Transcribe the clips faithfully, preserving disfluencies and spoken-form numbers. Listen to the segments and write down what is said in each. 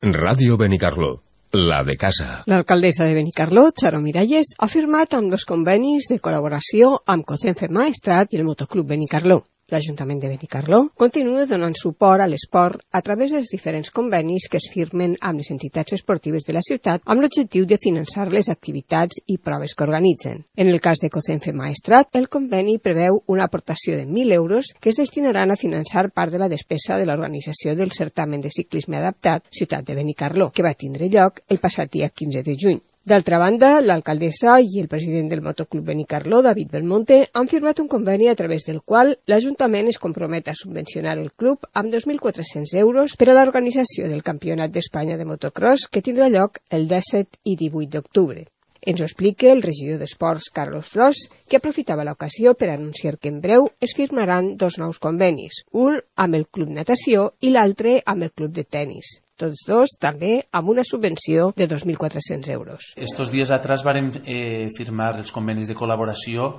Ràdio Benicarló, la de casa. L'alcaldessa de Benicarló, Charo Miralles, ha firmat amb dos convenis de col·laboració amb Cocenfe Maestrat i el Motoclub Benicarló. L'Ajuntament de Benicarló continua donant suport a l'esport a través dels diferents convenis que es firmen amb les entitats esportives de la ciutat amb l'objectiu de finançar les activitats i proves que organitzen. En el cas de Cocenfe Maestrat, el conveni preveu una aportació de mil euros que es destinaran a finançar part de la despesa de l'organització del certamen de ciclisme adaptat Ciutat de Benicarló, que va tindre lloc el passat dia quinze de juny. D'altra banda, l'alcaldessa i el president del Motoclub Benicarló, David Belmonte, han firmat un conveni a través del qual l'Ajuntament es compromet a subvencionar el club amb dos mil quatre-cents euros per a l'organització del Campionat d'Espanya de motocross que tindrà lloc el disset i divuit d'octubre. Ens ho explica el regidor d'Esports, Carlos Fros, que aprofitava l'ocasió per anunciar que en breu es firmaran dos nous convenis, un amb el Club Natació i l'altre amb el Club de Tenis. Tots dos també amb una subvenció de dos mil quatre-cents euros. Estos días atrás varen eh, firmar els convenis de col·laboració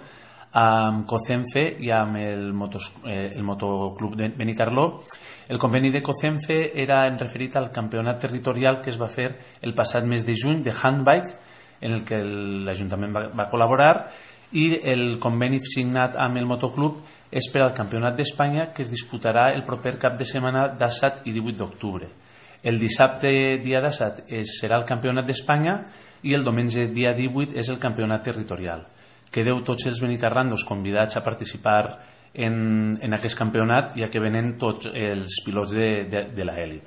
amb Cocenfe i amb el, motos, eh, el Motoclub de Benicarló. El conveni de Cocenfe era en referit al campionat territorial que es va fer el passat mes de juny de handbike, en el que l'Ajuntament va, va col·laborar, i el conveni signat amb el Motoclub és per al Campionat d'Espanya que es disputarà el proper cap de setmana disset i divuit d'octubre. El dissabte dia disset serà el Campionat d'Espanya i el diumenge dia divuit és el Campionat territorial. Quedeu tots els benicarrandos convidats a participar en, en aquest campionat, ja que venen tots els pilots de, de, de l'elit.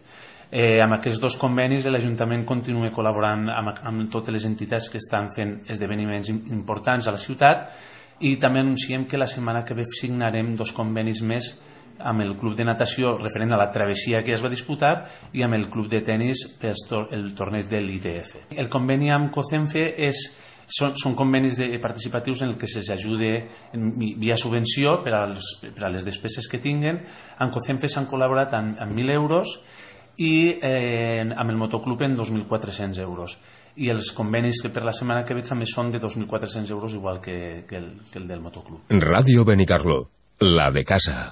Eh, amb aquests dos convenis l'Ajuntament continua col·laborant amb, amb totes les entitats que estan fent esdeveniments importants a la ciutat, i també anunciem que la setmana que ve signarem dos convenis més amb el club de natació referent a la travessia que es va disputar i amb el club de tenis per el torneig de l'I T F. El conveni amb Cocenfe és, són, són convenis de, participatius en el que s'ajuda via subvenció per, als, per a les despeses que tinguen. Amb Cocenfe s'han col·laborat amb, amb mil euros i eh, amb el Motoclub en dos mil quatre-cents euros. I els convenis que per la setmana que ve també són de dos mil quatre-cents euros, igual que, que, el, que el del Motoclub. Ràdio Benicarló, la de casa.